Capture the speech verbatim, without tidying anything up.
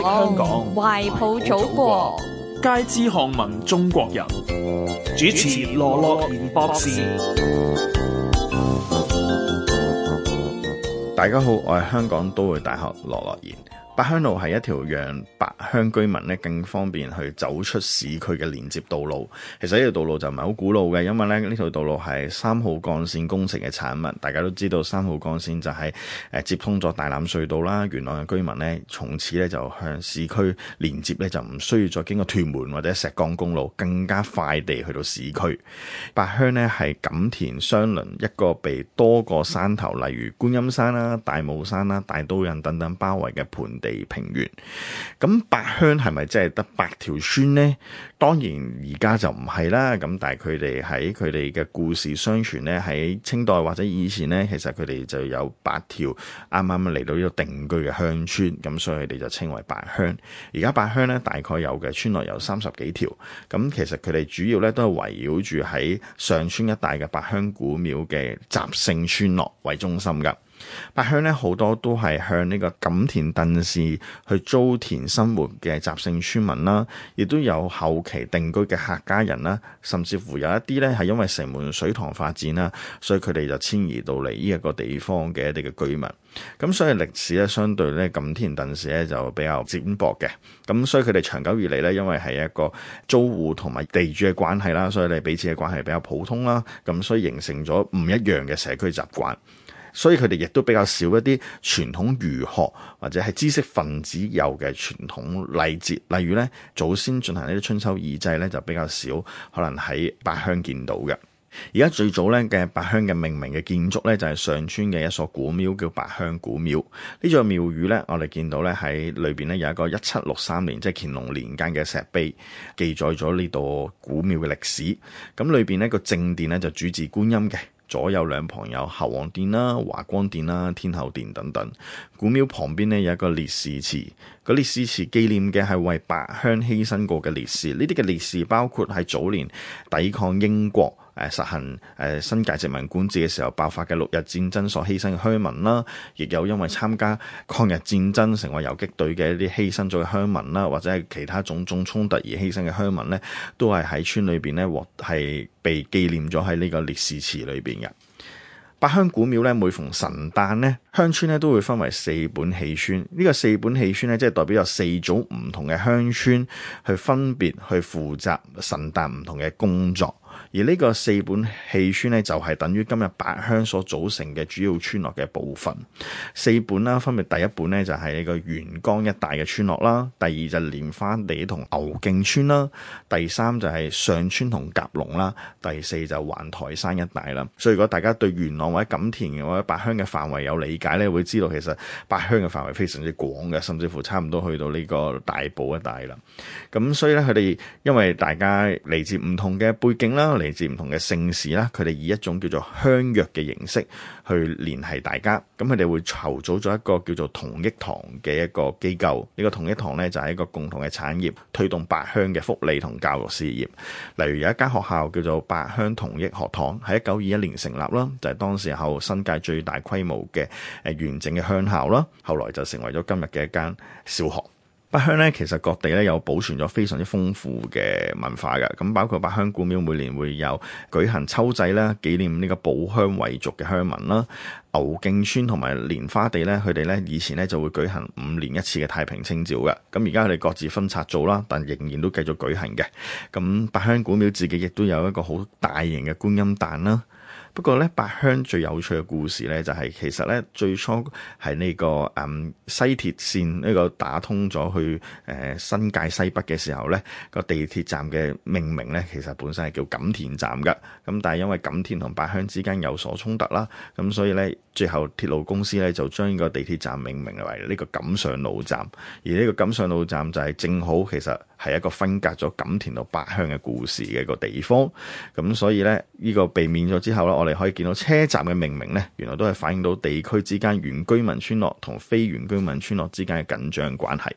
香港，懷抱祖國，皆知巷聞中國人。主持羅樂賢博士。大家好，我係香港都會大學羅樂賢。八鄉路係一條讓八鄉居民咧更方便去走出市區嘅連接道路。其實呢條道路就唔係好古老嘅，因為咧呢條道路係三號幹線工程嘅產物。大家都知道三號幹線就係誒接通咗大欖隧道啦，元朗嘅居民咧從此咧就向市區連接咧就唔需要再經過屯門或者石崗公路，更加快地去到市區。八鄉咧係錦田相鄰一個被多個山頭，例如觀音山啦、大帽山啦、大刀屻等等包圍嘅盆地平原。咁八鄉係咪真係得八條村呢？當然而家就唔係啦。咁但係佢哋喺佢哋嘅故事相傳呢，喺清代或者以前呢，其實佢哋就有八條啱啱嚟到呢個定居嘅鄉村，咁所以佢哋就稱為八鄉。而家八鄉呢，大概有嘅村落有三十幾條。咁其實佢哋主要呢都係圍繞住喺上村一帶嘅八鄉古廟嘅習姓村落為中心㗎。八鄉咧好多都係向呢個錦田鄧氏去租田生活嘅習姓村民啦，亦都有後期定居嘅客家人啦，甚至乎有一啲咧係因為城門水塘發展啦，所以佢哋就遷移到嚟呢一個地方嘅一啲嘅居民。咁所以歷史咧相對咧錦田鄧氏咧就比較淺薄嘅。咁所以佢哋長久以嚟咧，因為係一個租戶同埋地主嘅關係啦，所以你彼此嘅關係比較普通啦。咁所以形成咗唔一樣嘅社區習慣。所以佢哋亦都比較少一啲傳統儒學或者係知識分子有嘅傳統禮節，例如咧祖先進行呢啲春秋二祭咧就比較少，可能喺八鄉見到嘅。而家最早咧嘅八鄉嘅命名嘅建築咧就係上村嘅一所古廟叫八鄉古廟。呢座廟宇咧我哋見到咧喺裏邊咧有一個一七六三年即係乾隆年間嘅石碑，記載咗呢度古廟嘅歷史。咁裏邊呢個正殿咧就主祀觀音嘅。左右兩旁有侯王殿啦、華光殿啦、天后殿等等。古廟旁邊呢有一個烈士祠，個烈士祠紀念嘅係為八鄉犧牲過嘅烈士。呢啲嘅烈士包括喺早年抵抗英國誒實行誒新界殖民管治嘅時候爆發嘅六日戰爭所犧牲嘅鄉民啦，亦有因為參加抗日戰爭成為游擊隊嘅一啲犧牲咗嘅鄉民啦，或者係其他種種衝突而犧牲嘅鄉民呢，都係喺村裏邊呢獲係被紀念咗喺呢個烈士祠裏邊嘅。八鄉古廟咧，每逢神誕咧，鄉村咧都會分為四本戲村。呢、這個四本戲村咧，即係代表有四組唔同嘅鄉村去分別去負責神誕唔同嘅工作。而呢個四本戲村咧，就係等於今日八鄉所組成嘅主要村落嘅部分。四本啦，分別第一本咧就係呢個元江一帶嘅村落啦，第二就係蓮花地同牛徑村啦，第三就係上村同甲龍啦，第四就環台山一帶啦。所以如果大家對元朗或者錦田或者八鄉嘅範圍有理解咧，會知道其實八鄉嘅範圍非常之廣嘅，甚至乎差唔多去到呢個大埔一帶啦。咁所以咧，佢哋因為大家嚟自唔同嘅背景啦，嚟自唔同嘅姓氏啦，佢哋以一種叫做鄉約嘅形式去聯繫大家。咁佢哋會籌組咗一個叫做同益堂嘅一個機構。呢個同益堂呢，就係一個共同嘅產業，推動八鄉嘅福利同教育事業。例如有一間學校叫做八鄉同益學堂，喺一九二一年成立啦，就係當時候新界最大規模嘅誒完整嘅鄉校啦。後來就成為咗今日嘅一間小學。八鄉咧，其實各地咧有保存咗非常之豐富嘅文化嘅，咁包括八鄉古廟每年會有舉行秋祭啦，紀念呢個保鄉遺族嘅鄉民啦。牛徑村同埋蓮花地咧，佢哋咧以前咧就會舉行五年一次嘅太平清醮嘅，咁而家佢哋各自分拆做啦，但仍然都繼續舉行嘅。咁八鄉古廟自己亦都有一個好大型嘅觀音誕啦。不過咧，八鄉最有趣嘅故事咧，就係其實咧最初係呢個誒西鐵線呢個打通咗去誒新界西北嘅時候咧，個地鐵站嘅命名咧，其實本身係叫錦田站㗎。咁但係因為錦田同八鄉之間有所衝突啦，咁所以咧最後鐵路公司咧就將呢個地鐵站命名為呢個錦上路站。而呢個錦上路站就係正好其實係一個分隔咗錦田到八鄉嘅故事嘅一個地方。咁所以咧呢個避免咗之後咧，我哋可以見到車站嘅命名咧，原來都係反映到地區之間原居民村落同非原居民村落之間嘅緊張關係。